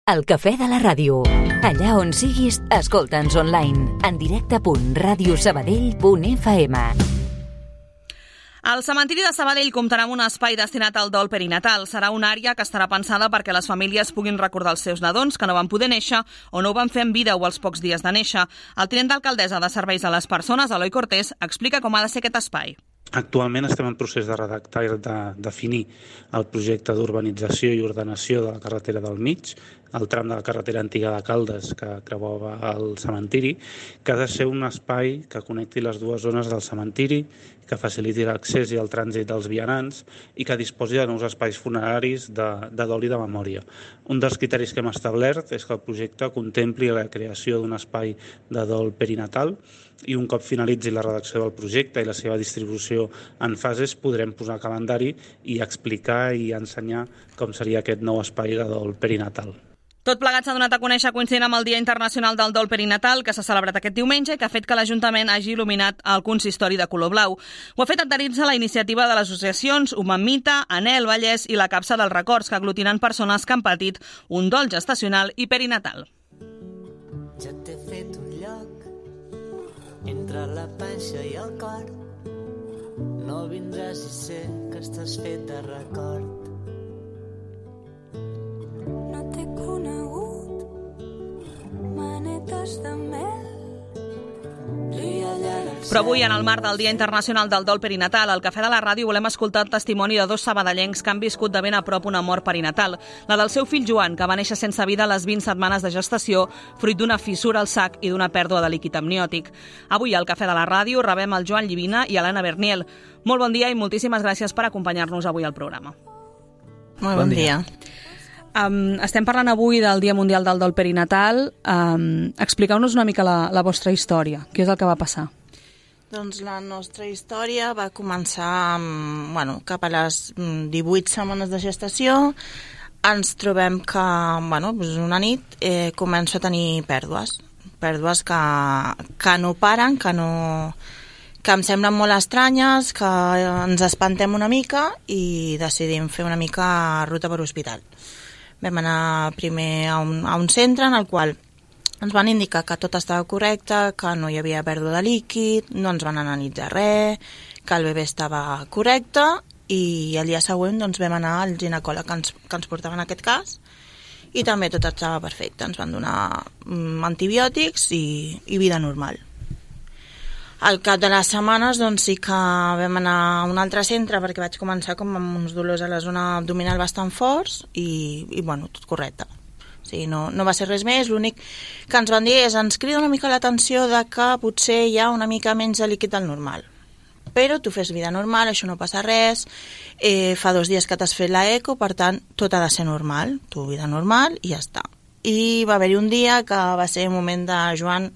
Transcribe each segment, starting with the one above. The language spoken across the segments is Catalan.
El Cafè de la Ràdio. Allà on siguis, escolta'ns online. En directe.radiosabadell.fm. El cementiri de Sabadell comptarà amb un espai destinat al dol perinatal. Serà una àrea que estarà pensada perquè les famílies puguin recordar els seus nadons que no van poder néixer o no ho van fer en vida o als pocs dies de néixer. El tinent d'alcaldessa de Serveis a les Persones, Eloi Cortés, explica com ha de ser aquest espai. Actualment estem en procés de redactar i de definir el projecte d'urbanització i ordenació de la carretera del mig, el tram de la carretera antiga de Caldes que creuava el cementiri, que ha de ser un espai que connecti les dues zones del cementiri, que faciliti l'accés i el trànsit dels vianants i que disposi de nous espais funeraris de dol i de memòria. Un dels criteris que hem establert és que el projecte contempli la creació d'un espai de dol perinatal i un cop finalitzi la redacció del projecte i la seva distribució en fases podrem posar calendari i explicar i ensenyar com seria aquest nou espai de dol perinatal. Tot plegat s'ha donat a conèixer coincidint amb el Dia Internacional del Dol Perinatal, que s'ha celebrat aquest diumenge i que ha fet que l'Ajuntament hagi il·luminat el consistori de color blau. Ho ha fet adherint-se a la iniciativa de les associacions Humamita, Anel, Vallès i la Capsa dels Records, que aglutinen persones que han patit un dol gestacional i perinatal. Ja t'he fet un lloc entre la panxa i el cor. No vindràs i sé que estàs fet de record. No t'he conegut, manetes de mel. Però avui, en el marc del Dia Internacional del Dol Perinatal, al Cafè de la Ràdio volem escoltar el testimoni de dos sabadellencs que han viscut de ben a prop una mort perinatal, la del seu fill Joan, que va néixer sense vida a les 20 setmanes de gestació, fruit d'una fissura al sac i d'una pèrdua de líquid amniòtic. Avui, al Cafè de la Ràdio, rebem el Joan Llivina i l'Anna Berniel. Molt bon dia i moltíssimes gràcies per acompanyar-nos avui al programa. Molt bon dia. Estem parlant avui del Dia Mundial del Dol Perinatal. Expliqueu-nos una mica la vostra història. Què és el que va passar? Doncs la nostra història va començar cap a les 18 setmanes de gestació. Ens trobem que una nit començo a tenir pèrdues que no paren, que em semblen molt estranyes, que ens espantem una mica i decidim fer una mica ruta per hospital. Vam anar primer a un centre en el qual ens van indicar que tot estava correcte, que no hi havia pèrdua de líquid, no ens van analitzar res, que el bebè estava correcte i el dia següent vam anar al ginecòleg que ens portava en aquest cas i també tot estava perfecte. Ens van donar antibiòtics i vida normal. Al cap de les setmanes sí que vam anar a un altre centre perquè vaig començar com amb uns dolors a la zona abdominal bastant forts i tot correcte. O sigui, no va ser res més, l'únic que ens van dir és ens crida una mica l'atenció de que potser hi ha una mica menys de líquid del normal. Però tu fes vida normal, això no passa res, fa 2 dies que t'has fet l'eco, per tant, tot ha de ser normal, tu vida normal i ja està. I va haver-hi un dia que va ser un moment de Joan,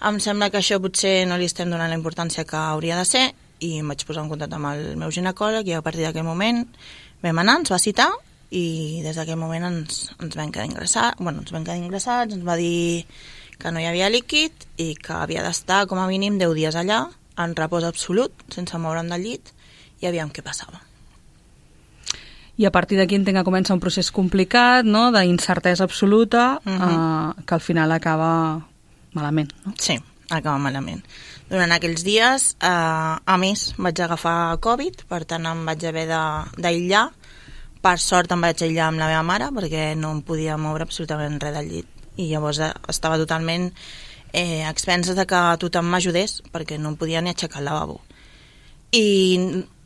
em sembla que això potser no li estem donant la importància que hauria de ser i em vaig posar en contacte amb el meu ginecòleg i a partir d'aquell moment vam anar, ens va citar i des d'aquell moment ens vam quedar ingressats, ens va dir que no hi havia líquid i que havia d'estar com a mínim 10 dies allà, en repòs absolut, sense moure'm del llit i aviam què passava. I a partir d'aquí entenc que comença un procés complicat, no?, d'incertesa absoluta, que al final acaba malament, no? Sí, acaba malament. Durant aquells dies, a més, vaig agafar Covid, per tant em vaig haver d'aïllar. Per sort em vaig aïllar amb la meva mare, perquè no em podia moure absolutament res del llit. I llavors estava totalment a expenses de que tothom m'ajudés, perquè no em podia ni aixecar el lavabo. I,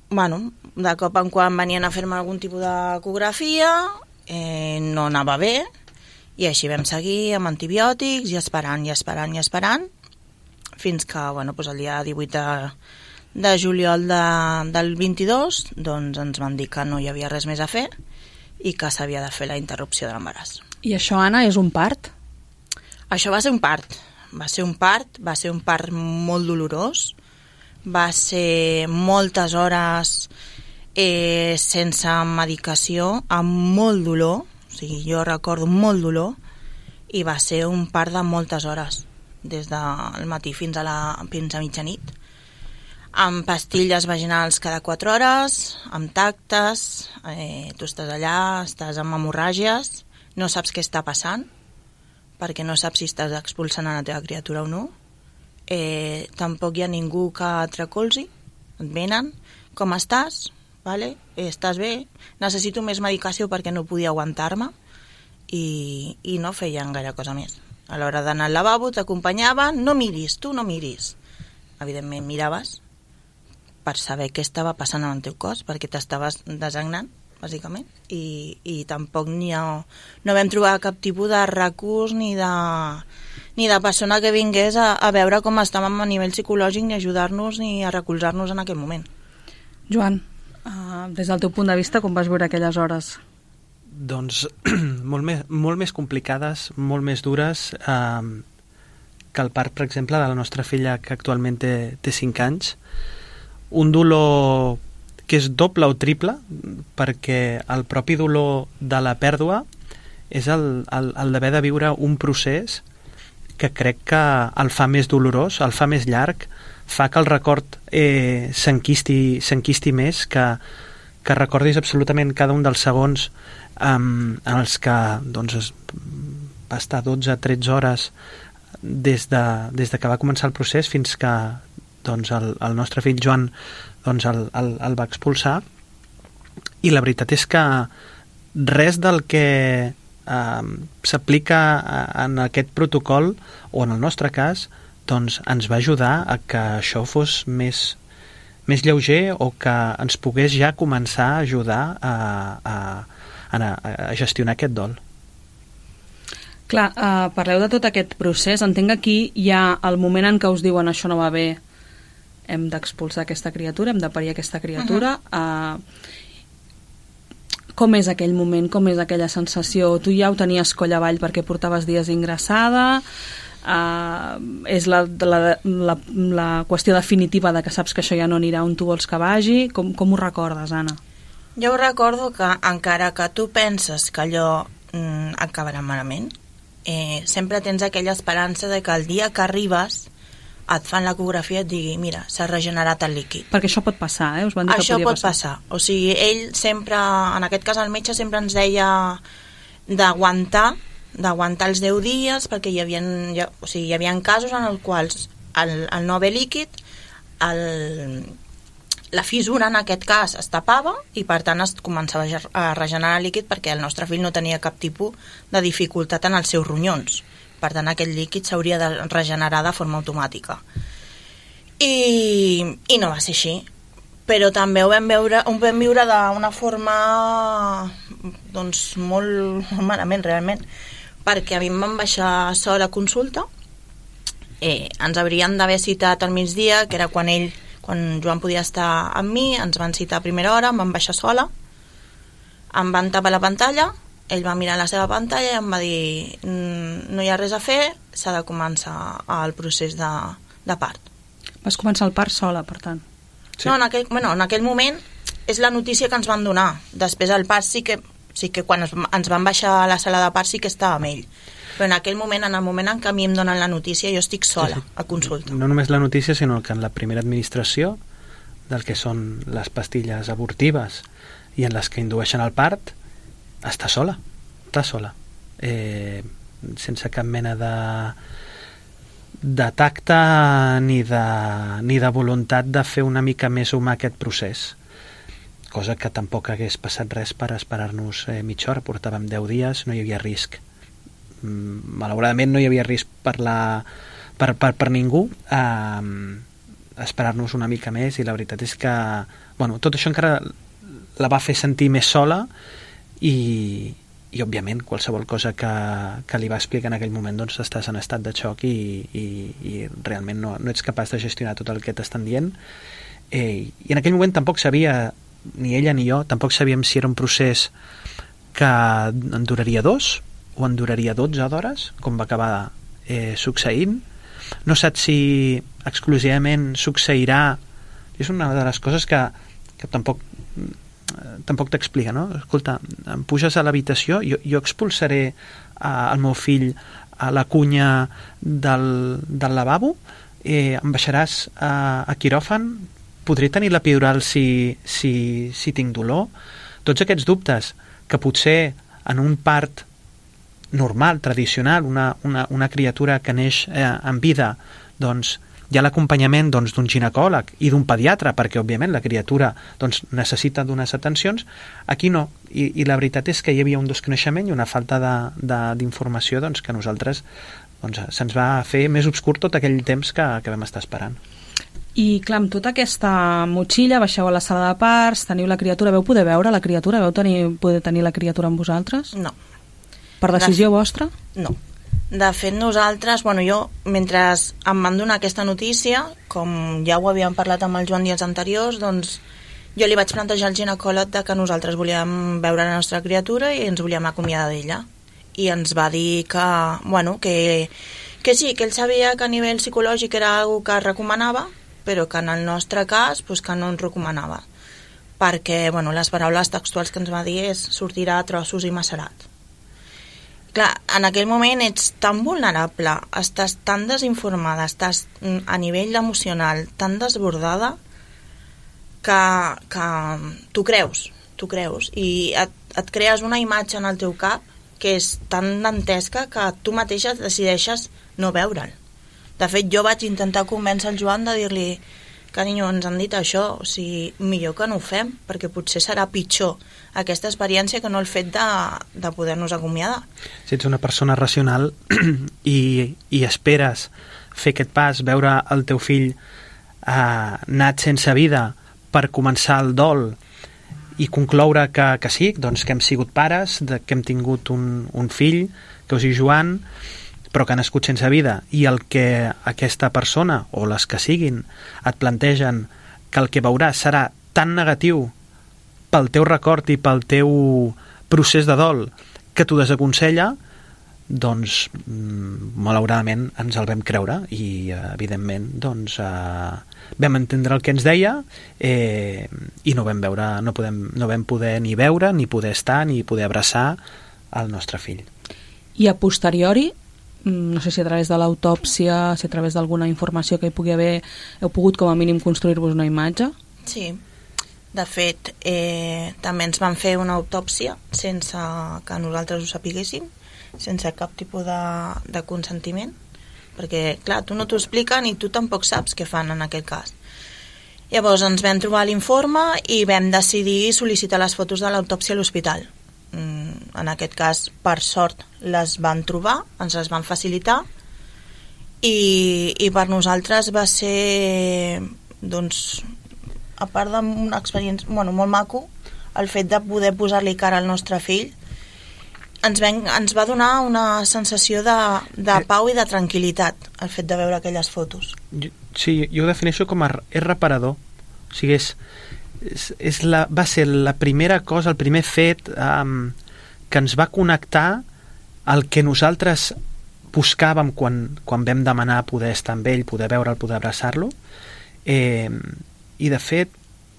de cop en quan venien a fer-me algun tipus d'ecografia, no anava bé, i així vam seguir amb antibiòtics i esperant, fins que el dia 18 de juliol del 22 ens van dir que no hi havia res més a fer i que s'havia de fer la interrupció de l'embaràs. I això, Anna, és un part? Això va ser un part. Va ser un part molt dolorós, va ser moltes hores sense medicació, amb molt dolor. O sigui, jo recordo molt dolor i va ser un part de moltes hores, des del matí fins a mitjanit, amb pastilles vaginals cada 4 hores, amb tactes, tu estàs allà, estàs amb hemorràgies, no saps què està passant, perquè no saps si estàs expulsant a la teva criatura o no. Tampoc hi ha ningú que et recolzi, et venen, com estàs? Vale? Estàs bé? Necessito més medicació perquè no podia aguantar-me, i no feien gaire cosa més. A l'hora d'anar al lavabo t'acompanyaven, no miris, tu no miris. Evidentment miraves per saber què estava passant en el teu cos, perquè t'estaves desagnant, bàsicament, i tampoc no vam trobar cap tipus de recurs ni de persona que vingués a veure com estàvem a nivell psicològic, ni ajudar-nos ni a recolzar-nos en aquell moment. Joan, des del teu punt de vista, com vas veure aquelles hores? Doncs molt més complicades, molt més dures que el part, per exemple, de la nostra filla, que actualment té 5 anys. Un dolor que és doble o triple, perquè el propi dolor de la pèrdua és el d'haver de viure un procés que crec que el fa més dolorós, el fa més llarg, fa que el record s'enquisti més, que recordis absolutament cada un dels segons en els que doncs, va estar 12-13 hores des que va començar el procés fins que doncs, el nostre fill Joan doncs, el va expulsar. I la veritat és que res del que s'aplica en aquest protocol, o en el nostre cas, doncs, ens va ajudar a que això fos més lleuger, o que ens pogués ja començar a ajudar a gestionar aquest dol. Clar, parleu de tot aquest procés. Entenc que aquí hi ha el moment en què us diuen això no va bé, hem d'expulsar aquesta criatura, hem de parir aquesta criatura. Com és aquell moment, com és aquella sensació? Tu ja ho tenies coll avall perquè portaves dies ingressada? És la qüestió definitiva de que saps que això ja no anirà on tu vols que vagi? Com ho recordes, Anna? Jo recordo que encara que tu penses que allò acabarà malament, sempre tens aquella esperança de que el dia que arribes et fan l'ecografia i et digui, mira, s'ha regenerat el líquid. Perquè això pot passar, Us van dir que això podia pot passar. O sigui, ell sempre, en aquest cas el metge sempre ens deia d'aguantar els 10 dies, perquè hi havia casos en els quals el no haver líquid, la fissura en aquest cas es tapava i per tant es començava a regenerar líquid, perquè el nostre fill no tenia cap tipus de dificultat en els seus ronyons. Per tant, aquest líquid s'hauria de regenerar de forma automàtica. I no va ser així. Però també ho vam viure d'una forma doncs, molt malament, realment. Perquè a mi em van baixar sola a consulta. Ens haurien d'haver citat al migdia, que era quan Joan podia estar amb mi, ens van citar a primera hora, em van baixar sola, em van tapar la pantalla, ell va mirar la seva pantalla i em va dir no hi ha res a fer, s'ha de començar el procés de part. Vas començar el part sola, per tant? Sí. No, en aquell moment és la notícia que ens van donar. Després el part sí que quan ens van baixar a la sala de part sí que estava amb ell. Però en aquell moment, en el moment en què a mi em donen la notícia, jo estic sola a consulta. No només la notícia, sinó que en la primera administració del que són les pastilles abortives i en les que indueixen el part, està sola, sense cap mena de tacte ni de voluntat de fer una mica més humà aquest procés, cosa que tampoc hagués passat res per esperar-nos mitja hora. Portàvem 10 dies, no hi havia risc, malauradament no hi havia risc per ningú, esperar-nos una mica més, i la veritat és que tot això encara la va fer sentir més sola, i òbviament qualsevol cosa que li va explicar en aquell moment, doncs estàs en estat de xoc i realment no ets capaç de gestionar tot el que t'estan dient, i en aquell moment tampoc sabia, ni ella ni jo tampoc sabíem si era un procés que en duraria 2 o en duraria 12 d'hores, com va acabar succeint. No saps si exclusivament succeirà. És una de les coses que tampoc t'explica, no? Escolta, em puges a l'habitació, jo expulsaré el meu fill a la cunya del lavabo, em baixaràs a quiròfan, podré tenir l'epidural si tinc dolor. Tots aquests dubtes que potser en un part normal, tradicional, una criatura que neix en vida, doncs hi ha l'acompanyament doncs, d'un ginecòleg i d'un pediatre, perquè òbviament la criatura doncs, necessita d'unes atencions. Aquí no, i la veritat és que hi havia un desconeixement i una falta d'informació doncs, que nosaltres doncs, se'ns va fer més obscur tot aquell temps que vam estar esperant. I clar, amb tota aquesta motxilla baixeu a la sala de parts, teniu la criatura, veu poder veure la criatura? Veu poder tenir la criatura amb vosaltres? No. Per decisió vostra? No. De fet, nosaltres, jo, mentre em van donar aquesta notícia, com ja ho havíem parlat amb el Joan dies anteriors, doncs jo li vaig plantejar al ginecòleg que nosaltres volíem veure la nostra criatura i ens volíem acomiadar d'ella. I ens va dir que sí, que ell sabia que a nivell psicològic era una cosa que recomanava, però que en el nostre cas que no ens recomanava. Perquè les paraules textuals que ens va dir és sortirà a trossos i macerat. Clar, en aquell moment ets tan vulnerable, estàs tan desinformada, estàs a nivell emocional tan desbordada que t'ho creus i et crees una imatge en el teu cap que és tan dantesca que tu mateixa decideixes no veure'l. De fet, jo vaig intentar convèncer el Joan de dir-li: carinyo, ens han dit això, millor que no ho fem, perquè potser serà pitjor aquesta experiència que no el fet de poder-nos acomiadar. Si ets una persona racional i esperes fer aquest pas, veure el teu fill nat sense vida per començar el dol i concloure que sí, doncs que hem sigut pares, que hem tingut un fill, que us diu Joan, però que ha nascut sense vida, i el que aquesta persona, o les que siguin, et plantegen que el que veuràs serà tan negatiu pel teu record i pel teu procés de dol que t'ho desaconsella, doncs malauradament ens el vam creure i evidentment doncs vam entendre el que ens deia i no vam poder ni veure, ni poder estar, ni poder abraçar el nostre fill. I a posteriori, no sé si a través de l'autòpsia, si a través d'alguna informació que hi pugui haver, heu pogut com a mínim construir-vos una imatge? Sí. De fet, també ens van fer una autòpsia sense que nosaltres ho sapiguéssim, sense cap tipus de consentiment, perquè, clar, tu no t'ho expliquen i tu tampoc saps què fan en aquest cas. Llavors ens vam trobar l'informe i vam decidir sol·licitar les fotos de l'autòpsia a l'hospital. En aquest cas, per sort, les van trobar, ens les van facilitar i per nosaltres va ser, doncs, a part d'una experiència molt maco, el fet de poder posar-li cara al nostre fill ens va donar una sensació de pau i de tranquil·litat el fet de veure aquelles fotos. Sí, jo ho defineixo com és reparador. O sigui, va ser la primera cosa, el primer fet que ens va connectar al que nosaltres buscàvem quan vam demanar poder estar amb ell, poder veure'l, poder abraçar-lo, i de fet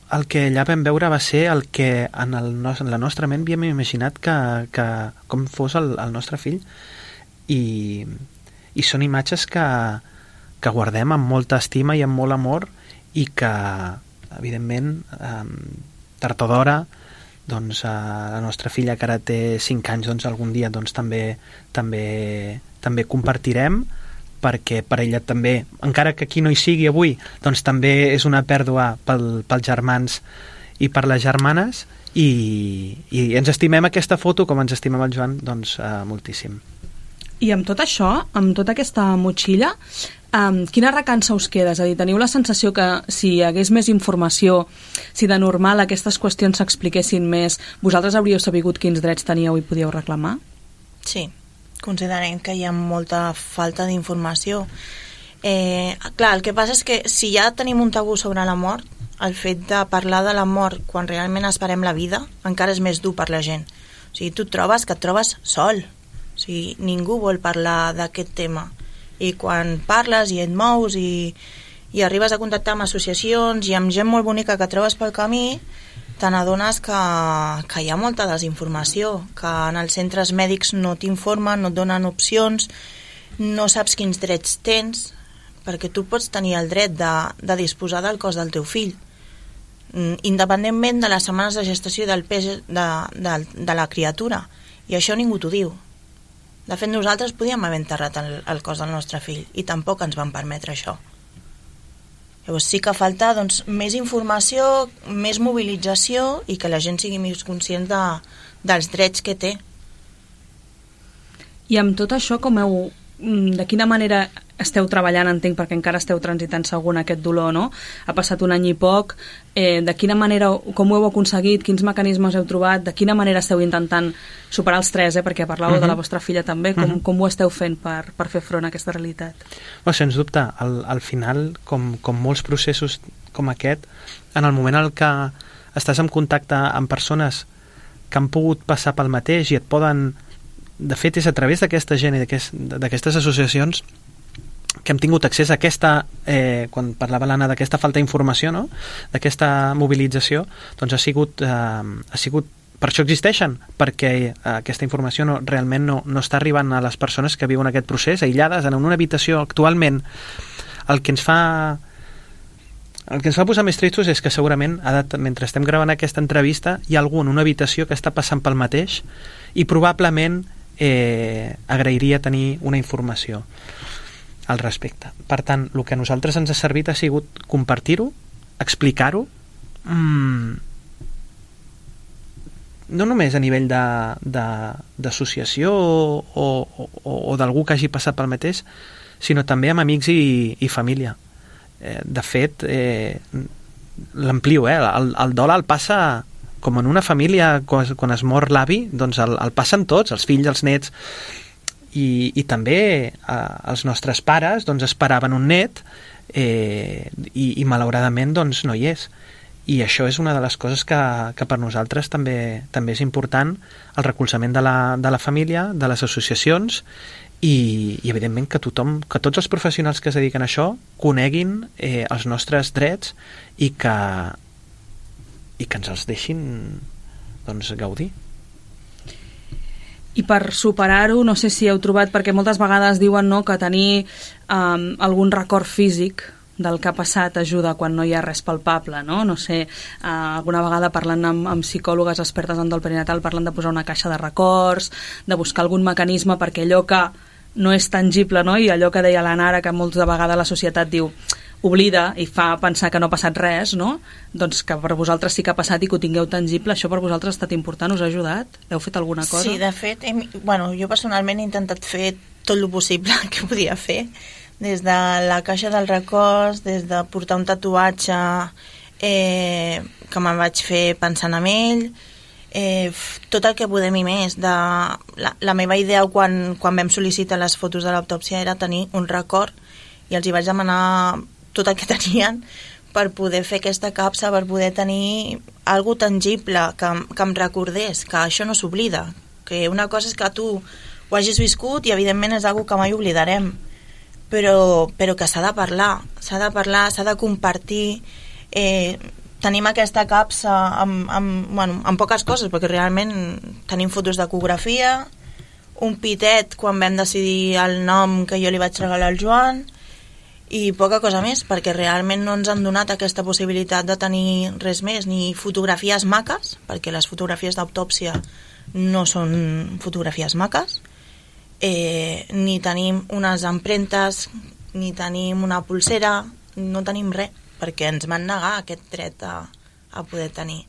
el que allà vam veure va ser el que en la nostra ment havíem imaginat que com fos el nostre fill, i són imatges que guardem amb molta estima i amb molt amor, i que evidentment tard o d'hora doncs la nostra filla, que ara té 5 anys, doncs algun dia doncs també compartirem, perquè per ella també, encara que aquí no hi sigui avui, doncs també és una pèrdua pels germans i per les germanes, i ens estimem aquesta foto com ens estimem el Joan, doncs moltíssim. I amb tot això, amb tota aquesta motxilla, quina recança us queda? És a dir, teniu la sensació que si hi hagués més informació, si de normal aquestes qüestions s'expliquessin més, vosaltres hauríeu sabut quins drets teníeu i podíeu reclamar? Sí, considerem que hi ha molta falta d'informació. Clar, el que passa és que si ja tenim un tabú sobre la mort, el fet de parlar de la mort quan realment esperem la vida encara és més dur per la gent. O sigui, tu et trobes sol. O sigui, ningú vol parlar d'aquest tema. I quan parles i et mous i arribes a contactar amb associacions i amb gent molt bonica que trobes pel camí, te n'adones que hi ha molta desinformació, que en els centres mèdics no t'informen, no et donen opcions, no saps quins drets tens, perquè tu pots tenir el dret de disposar del cos del teu fill, independentment de les setmanes de gestació i del pes de la criatura. I això ningú t'ho diu. De fet, nosaltres podíem haver enterrat el cos del nostre fill i tampoc ens van permetre això. Llavors sí que falta doncs, més informació, més mobilització i que la gent sigui més conscient dels drets que té. I amb tot això, de quina manera esteu treballant, entenc, perquè encara esteu transitant segur en aquest dolor, no? Ha passat un any i poc. De quina manera, com ho heu aconseguit? Quins mecanismes heu trobat? De quina manera esteu intentant superar els 3, perquè parlàveu de la vostra filla també? Com ho esteu fent per fer front a aquesta realitat? Sens dubte, al final, com molts processos com aquest, en el moment en què estàs en contacte amb persones que han pogut passar pel mateix i et poden... De fet, és a través d'aquesta gent i d'aquestes associacions que hem tingut accés a aquesta, quan parlava l'Anna d'aquesta falta d'informació, no? D'aquesta mobilització, doncs ha sigut per això existeixen, perquè aquesta informació realment no està arribant a les persones que viuen aquest procés, aïllades en una habitació actualment. El que ens fa posar més tristos és que segurament, mentre estem gravant aquesta entrevista, hi ha algú en una habitació que està passant pel mateix i probablement agrairia tenir una informació al respecte. Per tant, el que a nosaltres ens ha servit ha sigut compartir-ho, explicar-ho, no només a nivell d'associació o d'algú que hagi passat pel mateix, sinó també amb amics i família. De fet, l'amplio, el dol el passa com en una família, quan es mor l'avi, doncs el passen tots, els fills, els nets, i també els nostres pares doncs esperaven un net i malauradament doncs no hi és. I això és una de les coses que per nosaltres també és important, el recolzament de la família, de les associacions i evidentment que tots els professionals que es dediquen a això coneguin els nostres drets i que ens els deixin doncs gaudir. I per superar-ho, no sé si heu trobat, perquè moltes vegades diuen que tenir algun record físic del que ha passat ajuda quan no hi ha res palpable, no? No sé, alguna vegada parlant amb psicòlogues expertes en dol perinatal parlen de posar una caixa de records, de buscar algun mecanisme perquè allò que no és tangible, no? I allò que deia la Nara, que moltes vegades la societat diu oblida i fa pensar que no ha passat res, no? Doncs que per vosaltres sí que ha passat i que ho tingueu tangible, això per vosaltres ha estat important, us ha ajudat? Heu fet alguna cosa? Sí, de fet, jo personalment he intentat fer tot el possible que podia fer, des de la caixa dels records, des de portar un tatuatge que me'n vaig fer pensant en ell, tot el que podem i més. La meva idea quan vam sol·licitar les fotos de l'autòpsia era tenir un record i els hi vaig demanar tot el que tenien per poder fer aquesta capsa, per poder tenir algo tangible que em recordés que això no s'oblida, que una cosa és que tu ho hagis viscut i evidentment és algo que mai oblidarem, però que s'ha de parlar, s'ha de compartir. Tenim aquesta capsa amb poques coses, perquè realment tenim fotos d'ecografia, un pitet quan vam decidir el nom que jo li vaig regalar al Joan i poca cosa més, perquè realment no ens han donat aquesta possibilitat de tenir res més, ni fotografies maques, perquè les fotografies d'autòpsia no són fotografies maques, ni tenim unes empremtes, ni tenim una pulsera, no tenim res, perquè ens van negar aquest dret a poder tenir,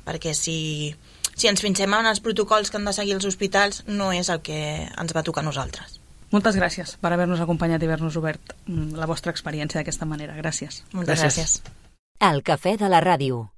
perquè si ens fixem en els protocols que han de seguir els hospitals no és el que ens va tocar a nosaltres. Moltes gràcies per haver-nos acompanyat i haver-nos obert la vostra experiència d'aquesta manera. Gràcies. Moltes gràcies. El Cafè de la Ràdio.